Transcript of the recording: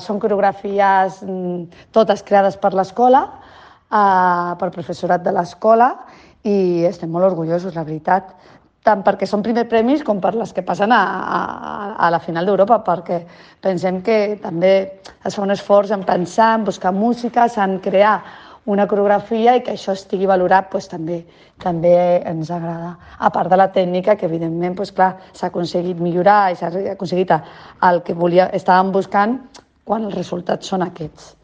Són coreografies totes creades per l'escola, pel professorat de l'escola, i estem molt orgullosos, la veritat, tant perquè són primers premis com per les que passen a la final d'Europa, perquè pensem que també es fa un esforç en pensar, en buscar música, en crear una coreografia i que això estigui valorat també ens agrada. A part de la tècnica, que evidentment s'ha aconseguit millorar i s'ha aconseguit el que estàvem buscant quan els resultats són aquests.